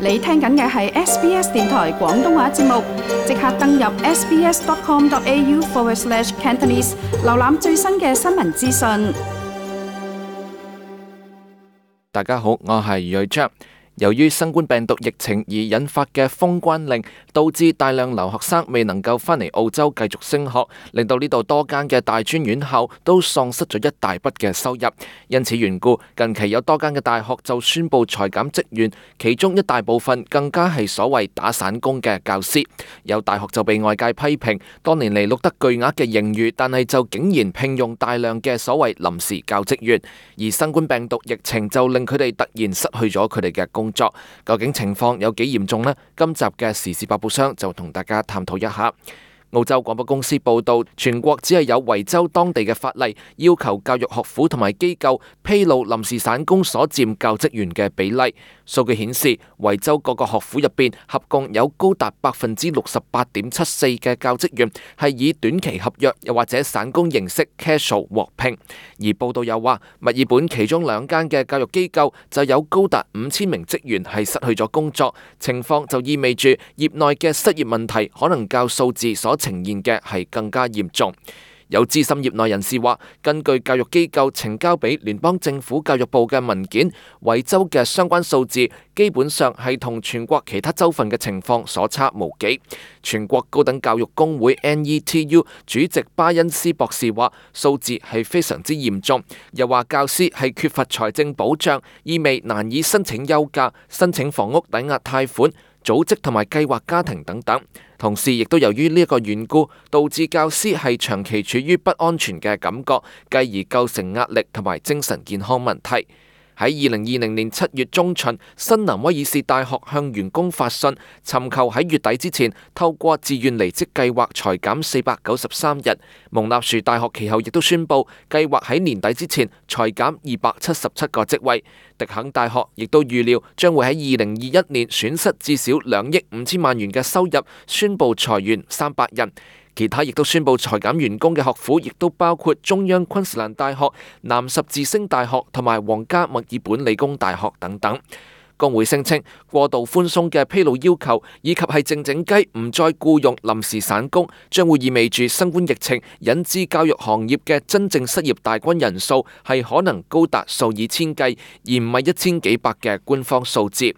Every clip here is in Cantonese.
你聽緊嘅係 SBS 電台廣東話節目，即刻登入 sbs.com.au/cantonese 瀏覽最新嘅新聞資訊。大家好，我係余瑞章。由於新冠病毒疫情而引發嘅封關令，導致大量留學生未能夠返嚟澳洲繼續升學，令到呢度多間嘅大專院校都喪失咗一大筆嘅收入。因此緣故，近期有多間嘅大學就宣布裁減職員，其中一大部分更加係所謂打散工嘅教師。有大學就被外界批評，多年嚟錄得巨額嘅盈餘，但係就竟然聘用大量嘅所謂臨時教職員，而新冠病毒疫情就令佢哋突然失去咗佢哋嘅工作。究竟情況有幾嚴重呢？今集嘅時事百寶箱就同大家探討一下。澳洲廣播公司報道，全國只係有維州當地嘅法例要求教育學府同埋機構披露臨時散工所佔教職員嘅比例。數據顯示，維州各個學府入邊合共有高達68.74%嘅教職員係以短期合約又或者散工形式 casual 獲聘。而報道又話，墨爾本其中兩間嘅教育機構就有高達5000名職員係失去咗工作，情況就意味住業內嘅失業問題可能較數字所呈現嘅係更加嚴重。有資深業內人士話，根據教育機構呈交俾聯邦政府教育部嘅文件，維州嘅相關數字基本上係同全國其他州份嘅情況所差無幾。全國高等教育工會 NETU 主席巴恩斯博士話，數字係非常之嚴重，又話教師係缺乏財政保障，意味難以申請休假、申請房屋抵押貸款、組織同埋計劃家庭等等。同時亦都由於呢一個緣故，導致教師係長期處於不安全嘅感覺，繼而構成壓力同埋精神健康問題。喺2020年7月中旬，新南威爾士大學向員工發信，尋求喺月底之前透過自願離職計劃裁減493日。蒙納殊大學其後亦都宣布，計劃喺年底之前裁減277個職位。迪肯大學亦都預料將會喺2021年損失至少2億5千萬元嘅收入，宣布裁員300人。其他亦都宣布裁減員工嘅學府，亦都包括中央昆士蘭大學、南十字星大學同埋皇家墨爾本理工大學等等。工會聲稱，過度寬鬆嘅披露要求，以及係靜靜雞唔再僱用臨時散工，將會意味住新冠疫情引致教育行業嘅真正失業大軍人數係可能高達數以千計，而唔係1000幾百嘅官方數字。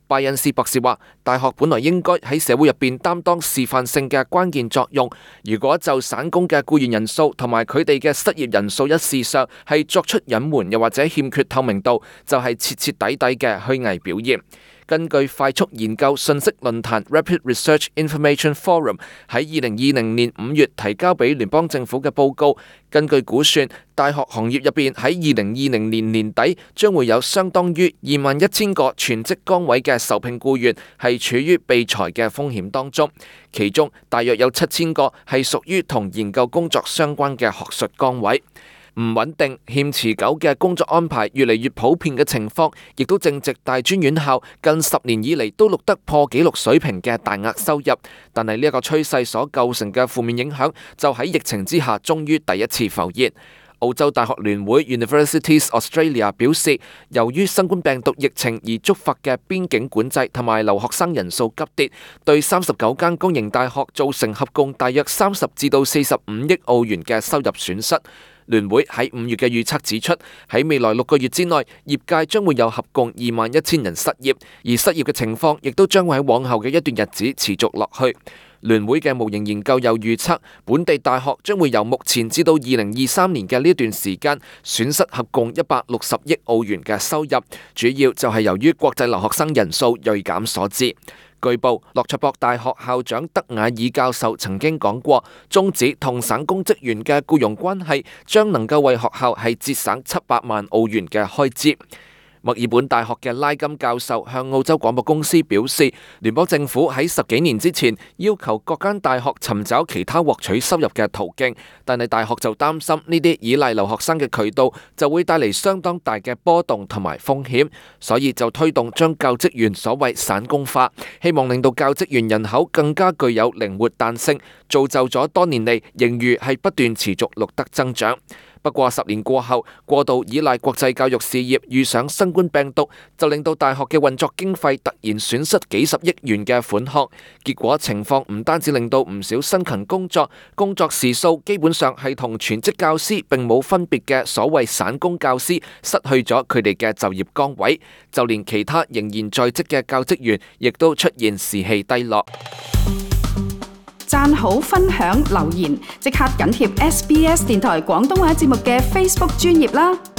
拜恩斯博士話，大學本來應該喺社會入邊擔當示範性嘅關鍵作用，如果就散工嘅僱員人數同埋佢哋嘅失業人數一事上係作出隱瞞又或者欠缺透明度，就係徹徹底底嘅虛偽表現。根據快速研究信息論壇 Rapid Research Information Forum 喺2020年5月提交俾聯邦政府嘅報告，根據估算，大學行業入邊喺2020年年底將會有相當於21,000個全職崗位嘅受聘僱員係處於被裁嘅風險當中，其中大約有7,000個係屬於同研究工作相關嘅學術崗位。唔穩定、欠持久嘅工作安排越嚟越普遍嘅情況，亦都正值大專院校近10年以嚟都錄得破紀錄水平嘅大額收入。但係呢一個趨勢所構成嘅負面影響，就喺疫情之下終於第一次浮現。澳洲大學聯會 Universities Australia 表示，由於新冠病毒疫情而觸發嘅邊境管制同埋留學生人數急跌，對39間公營大學造成合共大約30至到45億澳元嘅收入損失。聯會喺5月嘅預測指出，喺未來6個月之內，業界將會有合共21,000人失業，而失業嘅情況亦都將會喺往後嘅一段日子持續落去。聯會嘅模型研究又預測，本地大學將會由目前至到2023年嘅呢段時間損失合共160億澳元嘅收入，主要就係由於國際留學生人數銳減所致。據報，洛卓博大學校長德瓦爾教授曾經講過，終止同省公職員嘅僱傭關係，將能夠為學校係節省700萬澳元嘅開支。墨爾本大學嘅拉金教授向澳洲廣播公司表示，聯邦政府喺10幾年之前要求各間大學尋找其他獲取收入嘅途徑，但係大學就擔心呢啲依賴留學生嘅渠道就會帶嚟相當大嘅波動同埋風險，所以就推動將教職員所謂散工化，希望令到教職員人口更加具有靈活彈性，造就咗多年嚟盈餘係不斷持續錄得增長。不過10年過後，過度依賴國際教育事業遇上新冠病毒，就令到大學嘅運作經費突然損失幾十億元嘅款項。結果情況唔單止令到唔少辛勤工作時數基本上係同全職教師並冇分別嘅所謂散工教師失去咗佢哋嘅就業崗位，就連其他仍然在職嘅教職員亦都出現士氣低落。讚好、分享、留言，即刻緊貼SBS 電台廣東話節目嘅 Facebook 專頁啦！